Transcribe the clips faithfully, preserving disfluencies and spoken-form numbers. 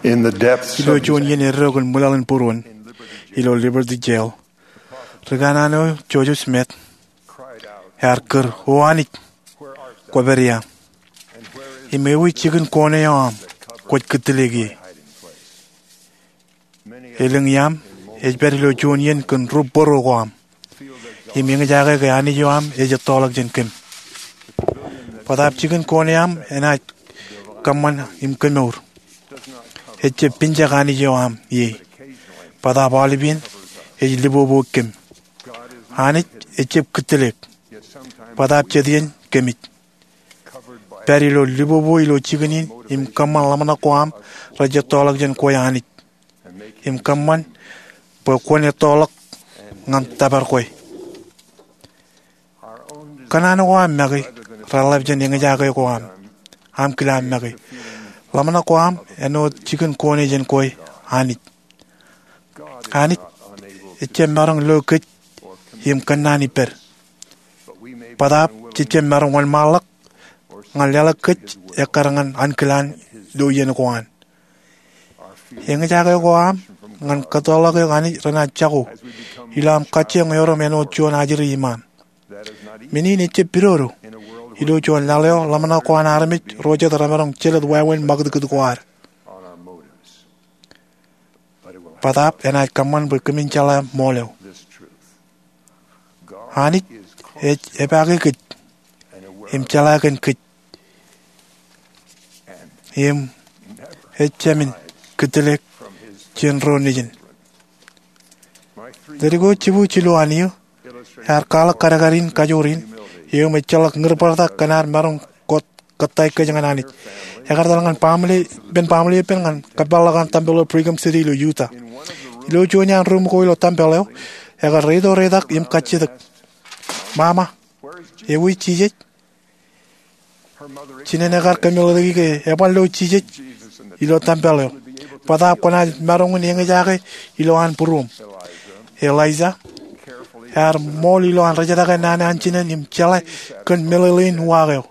Ilo juon iien eddo kōn ṃwilaḷ in būruon ilo Liberty Jail, ri kanaan eo Joseph Smith ear kūr, O Anij, kwōpād ia? Im ewi jikin koone eo aṃ kwōj kūttelōk ie? Elōñ iaam ej pād ilo juon iien kōn ri bōro ko aṃ im eñjake ke Anij eo aṃ ej ettoḷọk jān kōm. Bōtaab jikin koone eo aṃ enaaj kōṃṃan im kemour. Ejjab pinjak Anij eo aṃ ie, bōtaab aolepān ej liboboik kōm. Anij ejjab kūttelōk, bōtaab jet iien kōmij. Pād ilo libobo ilo jikin in im kōṃṃan ḷōmṇak ko aṃ rej ettoḷọk jān kwe Anij im kōṃṃan bwe kwōn ettoḷọk ñan tōpar kwe. Kōṇaan ko aṃ make reḷap jān eñjake ko aṃ. Aṃ kile aṃ make. Ḷōmṇak ko aṃ āinwōt jikin koone jān kwe Anij. Anij ejjab maroñ lo kōj im kōnnaan ippād, bōtaab jejjab maroñ wōnṃaanḷọk ñan leḷọk kōj ekkar ñan ankilaan ilo iien ko an. Eñjake ko aṃ ñan kōttoḷọk eok Anij renaaj jako ilo aṃ kajjioñ erom āinwōt juon ajri iṃaan. Men in ejjab pidodo ilo juon laḷ eo ḷōmṇak ko an armej ro jet remaroñ jelōt wāween ṃakūtkūt ko ad. Bōtaab enaaj kōṃṃan bwe kōmin jeḷā ṃool eo. Anij ej epaake kōj im jeḷā kōn kōj im ejāmin kūttelōk jān ro nejin. Ledik eo jibwijer jilu an eō ear kwaḷọk kadkad in kajoor in eo im ejjeḷọk ñūrbōrtak kōn ad maroñ kōttāik kōj ñan Anij. Ekar etal ñan ippān baaṃle epen ñan kōmpeḷḷọk an tempel eo Brigham City ilo Utah. Ilo juon iaan ruum ko ilo tempel eo, ekar reito reitak im kajjitōk, Mama, ewi Jisōs? Jinen ekar kōmeḷeḷeiki ke eban lo Jisōs ilo tempel eo bōtaab kwōnaaj maroñ in eñjake ilo an būruōṃ. Eliza ear ṃool ilo an rejetake naan an jinen im jeḷā kōn meḷeḷein uwaak eo.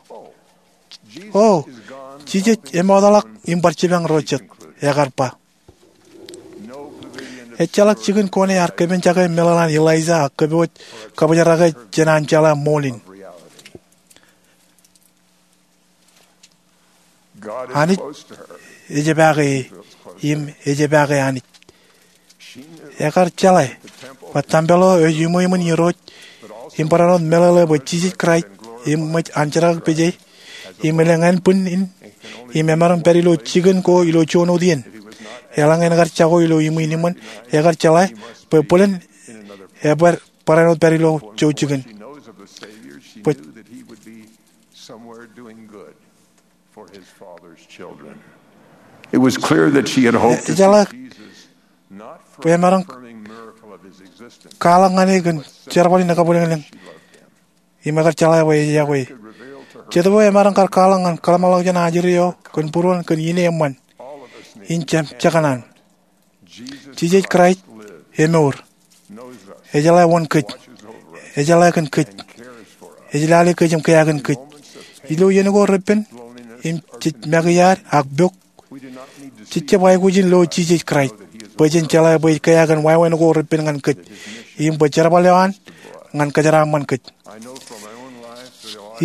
O, Jisōs emootḷọk im bar jipañ ro jet, ekar ba. Ejjeḷọk jikin koone ear kōpenjake meḷeḷe an Eliza ak kōpooj kabōjrake jān an jeḷā ṃool in. Anij ej epaake e im ej epaake Anij. Ekar jeḷā bwe tempel eo ej iṃweiṃōn Irooj im barāinwōt meḷeḷe bwe Jisōs Kraist eṃōj an jerkakpeje im elōñ ānbwinnin im emaroñ pād ilo jikin ko ilo juon wōt iien. Eḷaññe en kar jako ilo iṃwin iṃōn, ekar jeḷā bwe bōlen ebōd barāinwōt pād ilo jouj jikin. Bwe It was clear that she had hoped to see Jesus not for performing miracle of his existence, Ejeḷā bwe emaroñ kwaḷọk ñan e kōn jerbal in ekabwilōñlōñ im ekar jeḷā bwe ej iọkwe. Jetōb eo emaroñ kar kwaḷọk ñan kōḷmānḷọkjeṇ ajri eo kōn būruon kōn ine eṃṃan in jekōṇaan. Jisōs Kraist emour. Ejeḷā wōn kōj. Ejeḷā kōn kōj. Ej lale kōj im kea kōn kōj. Ilo iien ko repen im jej make iaad ak pok, jej jab aikuj in lo Jisōs Kraist bwe jen jeḷā bwe ej kea kōn wāween ko repen ñan kōj im bwe jerbal eo an ñan kōjeraaṃṃan kōj.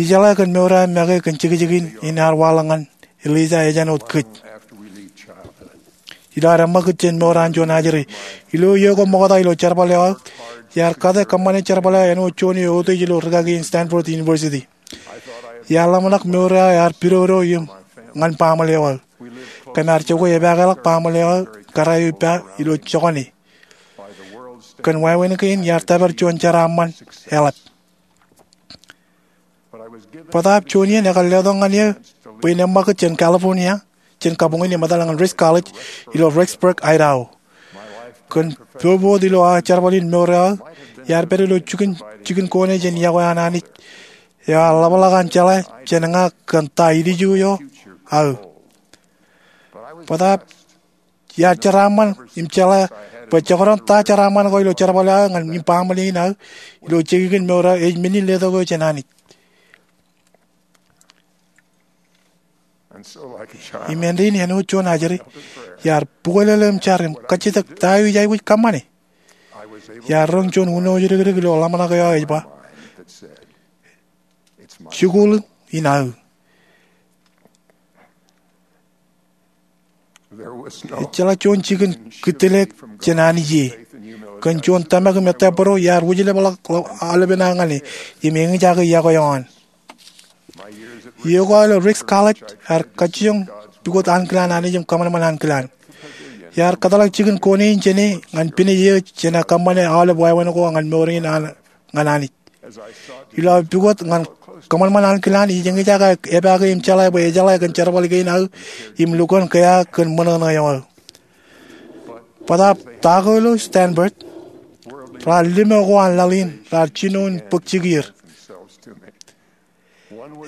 Ijeḷā kōn mour eo aō make kōn jekjekin in ear waḷọk ñan Eliza ej āinwōt kōj. Ilo ad eṃṃakūt jān mour an juon ajri ilo iiō ko ṃokta ilo jerbal eo aō, iar kate kōṃṃane jerbal eo āinwōt juon eo eutiej ilo rūkaki in Stanford University. Iar ḷōmṇak mour eo aō ear pidodo im ñan baaṃle eo aō. Kōm ar jokwe epaakḷọk baaṃle eo aō kōrā eo ippa ilo jokane. Kōn wāween kein iar tōpar juon jeraaṃṃan eḷap. Bōtaab juon iien ekar letok ñan eō bwe in eṃṃakūt jān California jān kabuñ in im etal ñan Ricks College ilo Rexburg, Idaho. Kōn bobot ilo aō jerbal in mour eo aō, iar pād ilo jikin, jikin koone jān iọkwe an Anij eo ear ḷapḷọk an jeḷā jān ña kōn ta ilju eo aō. Bōtaab iar jeraaṃṃan im jeḷā bwe jekdọọn ta jeraaṃṃan ko ilo jerbal eo aō ñan baaṃle in aō ilo jekjekin mour eo aō ej men in letok eō jān Anij. Im āindein āinwōt juon ajri, iar bukōlōlō im jar im kajjitōk ta eo ij aikuj kōṃṃane. Iar roñ juon unooj dikdik ilo ḷōmṇak eo aō ej ba, "Jikuuḷ in aō." Ejjeḷọk juon jikin kūtleek jān Anij ie. Kōn juon tōmak im ettā būro iar wūjlepḷọk aolepen aō ñan e im eñjake iọkwe eo an. Iiō ko aō ilo Ricks College ear kajjioñ pukot ankilaan Anij im kōṃanṃan ankilaan. Iar kōtḷọk jikin kone in jān e ñan pinej eo jān aō kōṃṃane aolep wāween ko ñan mour in an ñan Anij. Ilo aō pukot ñan kōṃanṃan ankilaan, ij eñjake epaake im jeḷā bwe ejeḷā kōn jerbal kein aō im lukkuun kea kōn ṃōṇōṇō eo aō. Bōtaab ta ko ilo Stanford, raar limo ko an laḷ in raar jino in bōk jikier.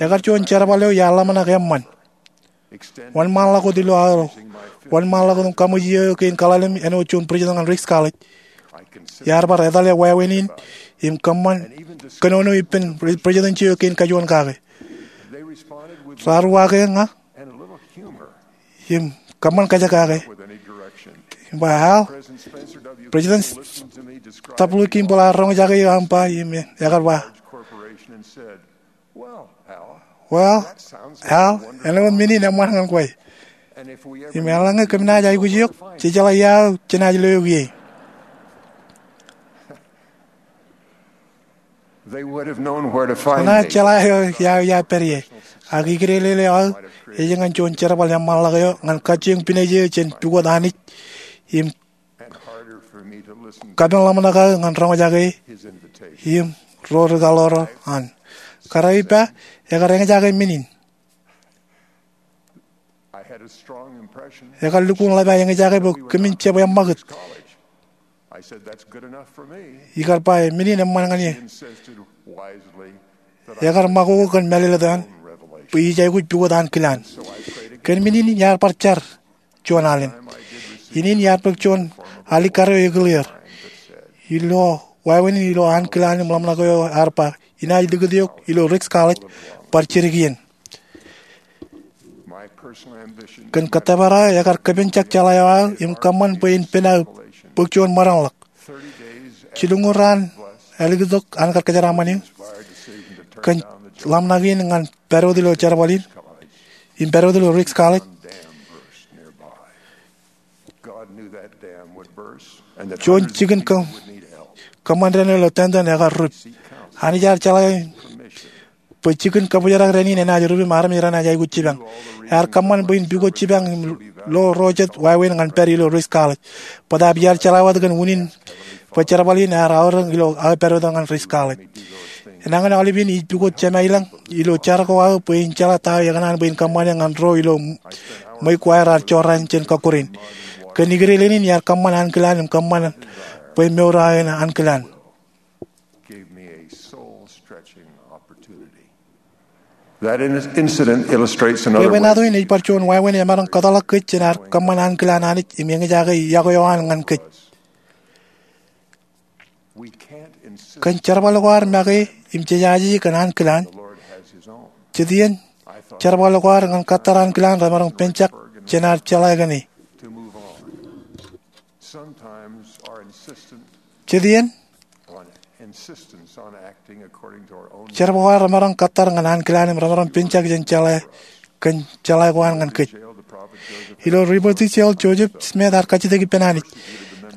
Ekar juon jerbal eo iar ḷōmṇak eṃṃan. Wōnṃaanḷọk wōt ilo aō wōnṃaanḷọk wōt im kaṃōj iiō eo kein kaḷalem āinwōt juon president ñan Ricks College, iar bar etale wāween in im kōṃṃan kōnono ippān presidency eo kein kajuon kake. Raar uwaake ña im kōṃṃan kajekake im ba, "Al, President W. Kimball ear roñjake eō aṃ ba," im ekar ba, "Well, Al, āinwōt men in eṃṃan ñan kwe. Im eḷaññe kōm naaj aikuj eok, jejeḷā ia eo jenaaj lo eok ie." Enaaj jeḷā eo ia eo iar pād ie. Ak ikdeelel eo aō ej ñan juon jerbal eṃṃanḷọk eo ñan kajjioñ pinej eo jān pukot Anij im kapen ḷōmṇak aō ñan roñjake e im ro rikaḷoor an. Kōrā ippa, ekar eñjake men in. Ekar lukkuun ḷap aō eñjake bwe kōmin jab eṃṃakūt. Ikar ba, "Men in eṃṃan ñan eō." Ekar ṃakoko kōn mālōtlōt eo an bwe ij aikuj pukot ankilaan. Kōn men in iar bar jar juon alen. Innin iar bōk juon alikkar eo ekilier ilo wāween in ilo ankilaan im ḷōmṇak eo ear ba, "Inaaj likūt eok ilo Ricks College, bar jidik iien." Kōn kōttōpar aō, ekar kōpenjak jeḷā eo aō im kōṃṃan bwe in pen aō bōk juon ṃōdanḷọk. Jilñuul raan ālikintok an kar kōjeraaṃṃan eō kōn ḷōmṇak in ñan pād wōt ilo jerbal in im pād wōt ilo Ricks College, juon jikin kōṃṃan dān ilo tōntōn ekar rup. Anij ear jeḷā bwe jikin kabōjrak dān in enaaj rup im armej renaaj aikuj jipañ. Ear kōṃṃan bwe in pukot jipañ im lo ro jet wāween ñan pād ilo Ricks College. Bōtaab iar jeḷā wōt kōn unin bwe jerbal in ear aorōk ilo aō pād wōt ñan Ricks College. Enañin aolepen ij pukot jemālañ ilo jar ko aō bwe in jeḷā ta eo ekōṇaan bwe in kōṃṃane ñan ro ilo ṃweiuk ko aer raar jorrāān jān kọkkure in. Kōn ikdeleen in iar kōṃṃan ankilaan im kōṃṃan bwe mour aō en ankilaan. Bwebwenato in ej bar juon wāween emaroñ kōtḷọk kōj jān ad kōṃṃan ankilaan Anij im eñjake iọkwe eo an ñan kōj. Kōn jerbal ko ad make im jejaje kōn ankilaan, jet iien jerbal ko ad ñan kōttar ankilaan remaroñ penjak jān ad jeḷā kōn e. Jet iien jerbal ko ad remaroñ kōttar ñan ankilaan im remaroñ penjak jān jeḷā kōn jeḷā ko an ñan kōj. Ilo Liberty Jail, Joseph Smith ear kajjitōk ippān Anij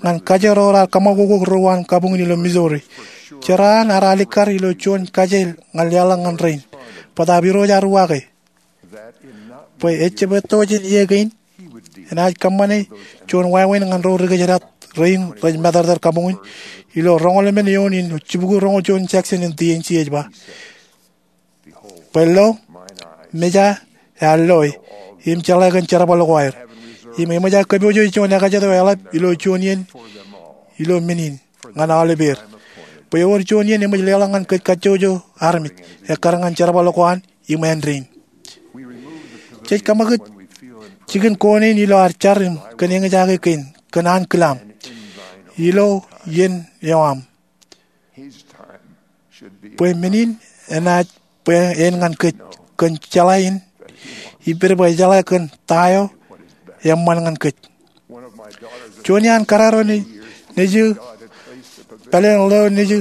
ñan kaje ro raar kōṃakoko ro an kabuñ in ilo Missouri. Jeraan ear alikkar ilo juon kaje ñan leḷọk ñan rein. Bōtaab Irooj ear uwaake bwe ejjab etto jān iiō kein enaaj kōṃṃane juon wāween ñan ro ri kōjdat rein rej matōrtōr kabuñ in. Ilo roñoul emān eoon in jibukwi roñoul juon section in D and C ej ba, bwe lo, meja ear loe im jeḷā kōn jerbal ko aer. Im eṃōj aō kōpoojo juon ekajet eo eḷap ilo juon iien ilo men in ñan aolepeer, bwe ewōr juon iien eṃōj leḷọk ñan kōj kajjojo armej ekkar ñan jerbal ko an im āindein. Jej kōṃakūt jikin kone in ilo ad jar im kōn eñjake kein kōn ankilaam ilo iien eo aṃ. Bwe men in enaaj bwe en ñan kōj kōn jeḷā in ippād bwe ejeḷā kōn ta eo eṃṃan ñan kōj. Juon iaan karreo nejū, pāleen ḷeo nejū,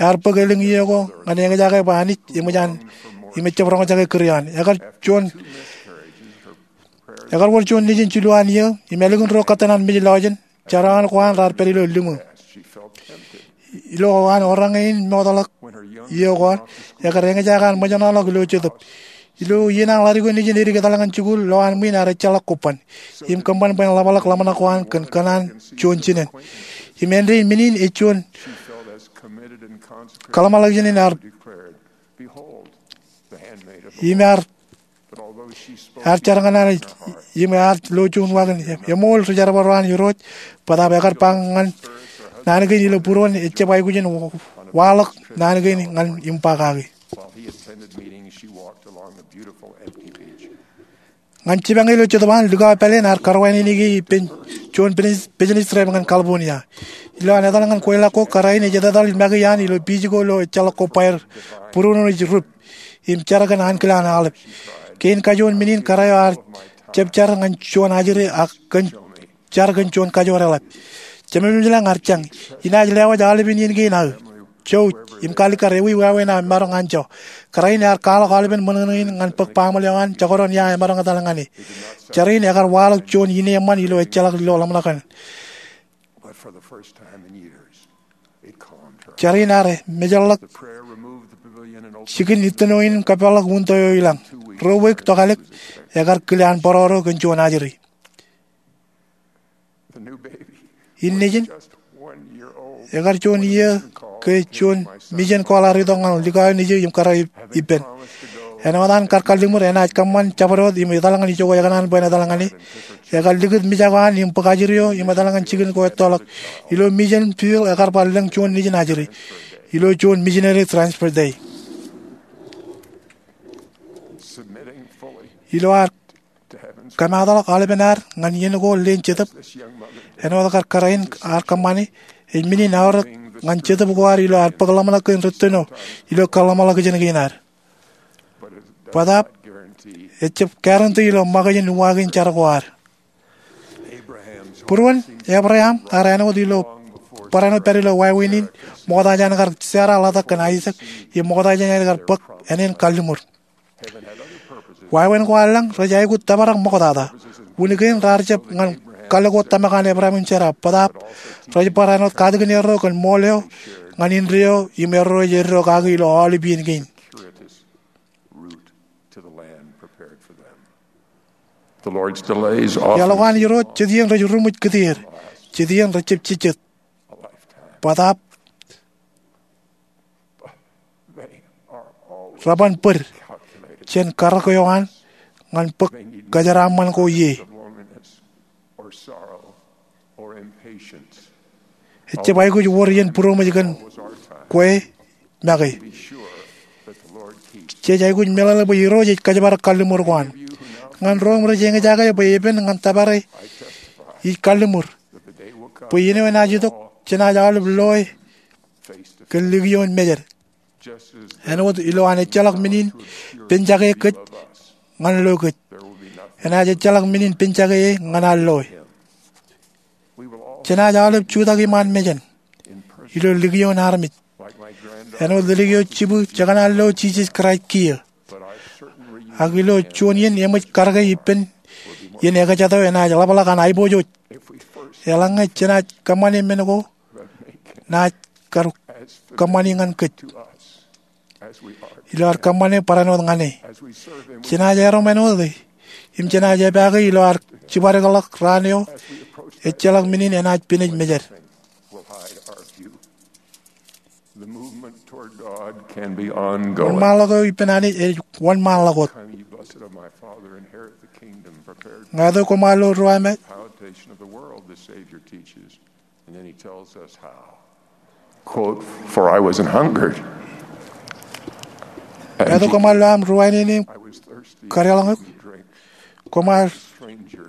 ear bōk elōñ iiō ko ñan eñjake bwe Anij eṃōj an, im ejjab roñjake kūr eo an. Ekar juon, ekar wōr juon nejin jilu an iiō, im ālikin ro kōttan an mej lọjien, jerawan ko an raar pād ilo liṃū. Ilo an orañe in mootḷọk iiō ko an, ekar eñjake an ṃōjṇọḷọk ilo jetōb. Ilo iien an ḷaddik eo nejin edik etal ñan jikuuḷ, lo an ṃwiin ear ejjeḷọk kobban im kōṃṃan bwe en ḷapḷọk ḷōmṇak ko an kōn kōṇaan juon jinen. Im āindein men in ej juon kōḷmānḷọkjeṇ in ear, im ear, ear jar ñan an, im ear lo juon wagon, eṃool ri jerbal ro an Irooj, bōtaab ekar ba ñan naan kein ilo būruon ejjab aikuj in waḷọk naan kein ñan im ba kaki. Ñan jipañ ilo jetōb an, likao pāleen ear karwaineneiki ippān juon business trip ñan California. Ilo an etal ñan kweilọk ko, kōrā in ej etetal make iaan ilo beach ko ilo ejjeḷọk kobba er, būruon ej rūp im jar kōn ankilaan aolep. Kein kajuon men in kōrā eo ear jab jar ñan juon ajri ak kōn jar kōn juon kajoor eḷap. Jemem ilañ ear jañ, inaaj lewōj aolepen iien kein aō, jouj, im kaalikkar ewi wāween aō maroñ anjọ. Kōrā in ear kwaḷọk aolepen ṃōṇōṇō in ñan bōk baaṃle eo an jekdọọn ia emaroñ etal ñan e. Jar in ekar waḷọk juon ine eṃṃan ilo ejjeḷọk ilo ḷōmṇak in. Jar in ear mejeḷḷọk jikin ittino in im kapeḷḷọk untō eo ilañ. Ruo wiik tokālik, ekar kile an bōroro kōn juon ajri. In nejin, ekar juon iiō ke juon, mijen kōḷ ear itok ñan likao nejū im kōrā ippān. Āinwōt an kar kalliṃur, enaaj kōṃṃan jabdewōt im etal ñan ijoko ekōṇaan bwe en etal ñan e. Ekar likūt mijak eo an im bōk ajri eo im etal ñan jikin ko ettoḷọk. Ilo mijen field, ekar bar lōñ juon nejin ajri ilo juon missionary transfer day. Ilo ad kōmaatḷọk aolepen ad ñan iien ko leen jetōb, āinwōt kar kōrā in ear kōṃṃane, ej men in aorōk ñan jetōb ko ad ilo ad bōk ḷōmṇak kōn ri ittino ilo kōḷmānḷọkjeṇ kein ad. Bōtaab ejjab guarantee ilo ṃōkaj in uwaak in jar ko ad. Būruon Ebream ear āinwōt ilo barāinwōt pād ilo wāween in ṃokta jān kar Sera ḷotak kōn Aisak im ṃokta jān kar bōk āne in kalliṃur. Wāween ko ear lañ rej aikuj tōprak ṃoktata. Wūnin kein raar jab ñan kalōk ko tōmak an Ebream im Sera, bōtaab rej bar āinwōt katakin erro kōn ṃool eo ñan indeeo im erro ej eddo kaki ilo aolep iien kein. Iaḷ ko an Irooj jet iien rej ruṃwij kūtier, jet iien rejjab jejjet. Bōtaab reban bōd jān karōk eo an ñan bōk kōjeraaṃṃan ko ie. Ejjab aikuj wōr iien būroṃōj kōn kwe make. Jej aikuj meḷeḷe bwe Irooj ej kōjparok kalliṃur ko an. Ñan ro im rej eñjake bwe epen ñan tōpare, ij kalliṃur bwe iien eo enaaj itok jenaaj aolep loe kōn likioon mejed. Āinwōt ilo an ejjeḷọk men in penjake kōj ñan lo kōj, enaaj ejjeḷọk men in penjake e ñan an loe. Jenaaj aolep jutak iṃaan mejān ilo likioon armej, āinwōt ledik eo jibwin jekōṇaan lo Jisōs Kraist kiiō. Ak ilo juon iien eṃōj karōke ippān iien ekajatō enaaj ḷapḷọk an aiboojoj. Eḷaññe jenaaj kōṃṃane men ko naaj kar kōṃṃani ñan kōj ilo ad kōṃṃane barāinwōt ñan e. Jenaaj erom āinwōt e im jenaaj epaake ilo ad jibadekḷọk raan eo ejjeḷọk men in enaaj pinej mejād. Wōnṃaanḷọk eo ippān Anij ej wōnṃaanḷọk wōt. Ñāāt eo koṃ ar lo ruwamāer. And then he tells us how. Quote, "For I was an hungered, and Ñāāt eo koṃ ar lo aṃ ruwainene im kadeḷọñ eok. Koṃ ar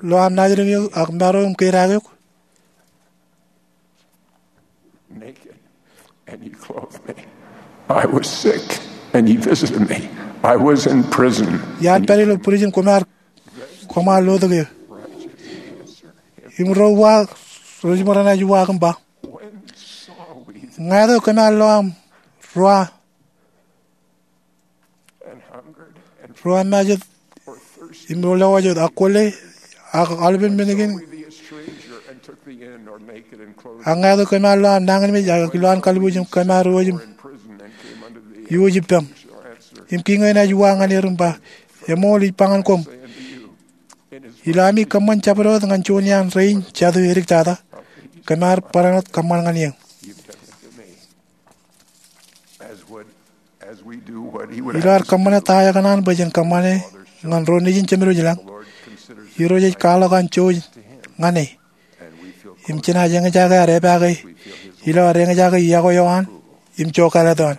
lo aṃ naajdik eok ak maro im kedaak eok. Naked, and ye clothed me. I was sick, and ye visited me. I was in prison." Iar pād ilo prison, koṃ ar koṃaar lotōk eō. Im ro uwaak, ro jiṃor enaaj uwaak im ba, ñāāt eo kōm ar lo aṃ rua, rua majet im lewōj wōt, ak kwōle, ak aolepen men kein, ak ñāāt eo kōm ar lo aṃ nañinmej ak ilowaan kalbuuj im kōm ar wōj im iwōj ippaṃ. Im kiiñ eo enaaj uwaak ñan er im ba, eṃool, ij ba ñan koṃ, ilo ami kōṃṃan jabdewōt ñan juon iaan rein jatū edik tata, kōm ar barāinwōt kōṃṃan ñan eō. Ilo ad kōṃṃane ta eo ekōṇaan bwe jen kōṃṃane ñan ro nejin Jemedwōj ilañ, Irooj ej kwaḷọk an jouj ñan e. Im jenaaj eñjake ad epaake ilo ad eñjake yokwe eo an im jokāālōt eo an.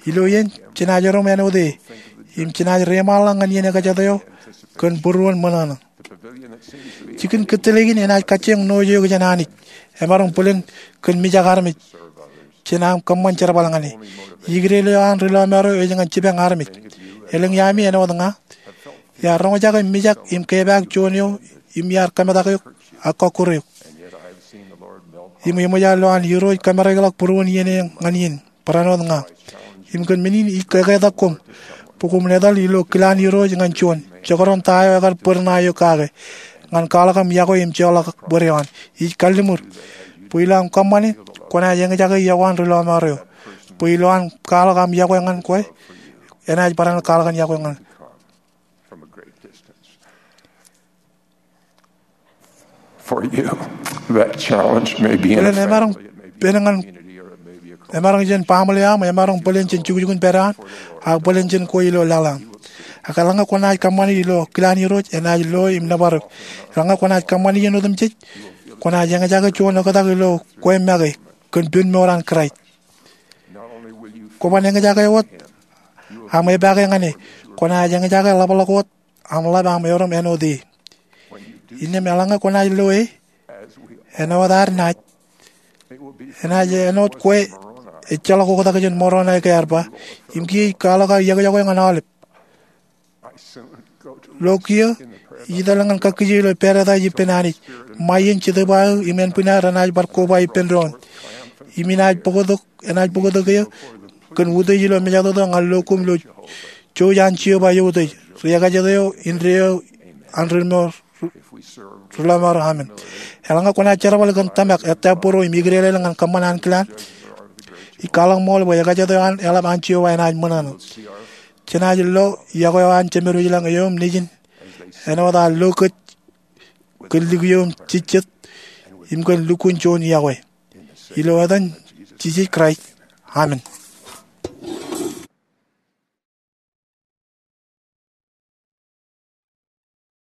Ilo iien jenaaj erom āinwōt e, im jenaaj reṃaanḷọk ñan iien ekajāt eo kōn būruon ṃōṇōṇō. Jikin kōttālōk in enaaj kajjioñ ṇooj eok jān Anij, emaroñ bōlen kōn mijak armej jān aṃ kōṃṃan jerbal ñan e. Ikdel eo an ri lọmọọr eo ej ñan jipañ armej. Elōñ iaami āinwōt ña iar roñjake mijak im kepaak juon eo im iar kōmetak eok ak kọkkure eok. Im eṃōj an lo an Irooj kōmereḷọk būruon iien eo ñan iien barāinwōt ña. Im kōn men in ij eketak koṃ bwe koṃ etal ilo kilaan Irooj ñan juon, jekdọọn ta eo ekar bōd ṇae eok kake, ñan kwaḷọk aṃ yokwe im joḷọk bōd eo an. Ij kalliṃur bwe ilo aṃ kōṃṃane, kwōnaaj eñjake yokwe an ri lọmọọr eo. Bwe ilo an kwaḷọk aṃ yokwe ñan kwe, enaaj barāinwōt kwaḷọk an yokwe ñan Bōlen emaroñ bōlen ñan, emaroñ jān baaṃle eo aṃ, emaroñ bōlen jān jukjukun pād eo an, ak bōlen jān kwe ilo laḷ eo aṃ. Ak eḷaññe kwōnaaj kōṃṃane ilo kilaan Irooj, enaaj lo im nōbar eok. Eḷaññe kwōnaaj kōṃṃane iien otemjej, kwōnaaj eñjake juon oktak ilo kwe make kōn pen mour an Kraist. Kwōban eñjake wōt aṃ epaake ñan e, kwōnaaj eñjake ḷapḷọk wōt aṃ ḷap aṃ erom āinwōt e. Innām eḷaññe kwōnaaj lo e, āinwōt ad naaj, enaaj āinwōt kwe ejjeḷọk oktak jān Moroṇai ke ear ba, im kiiō ij kwaḷọk aō yokwe ñan aolep. Lo kiiō, ij etal ñan kakkije ilo pād etaaj ippān Anij. Ṃae iien Jetōb eo aō im ānbwinnier enaaj bar koba ippān doon. Im inaaj bōktok, enaaj bōktok eō kōn utiej ilo mejatoto ñan lo koṃ ilo jouj an Jeova eutiej, ri-ekajāt eo, indeeo an ri lọmọọr, ri lọmọọr eo. Amen. Eḷaññe kwōnaaj jerbal kōn tōmak, ettā būruō im ikdele ñan kōṃṃan ankilaan, ij kwaḷọk ṃool bwe ekajāt eo an eḷap an Jeova enaaj ṃōṇōṇō. Jenaaj lo yokwe eo an Jemedwōj ilañ eō im nejin āinwōt an lo kōj kōn likūt eo im jejjet im kōn lukkuun juon yokwe. Ilo etan Jisōs Kraist, amen.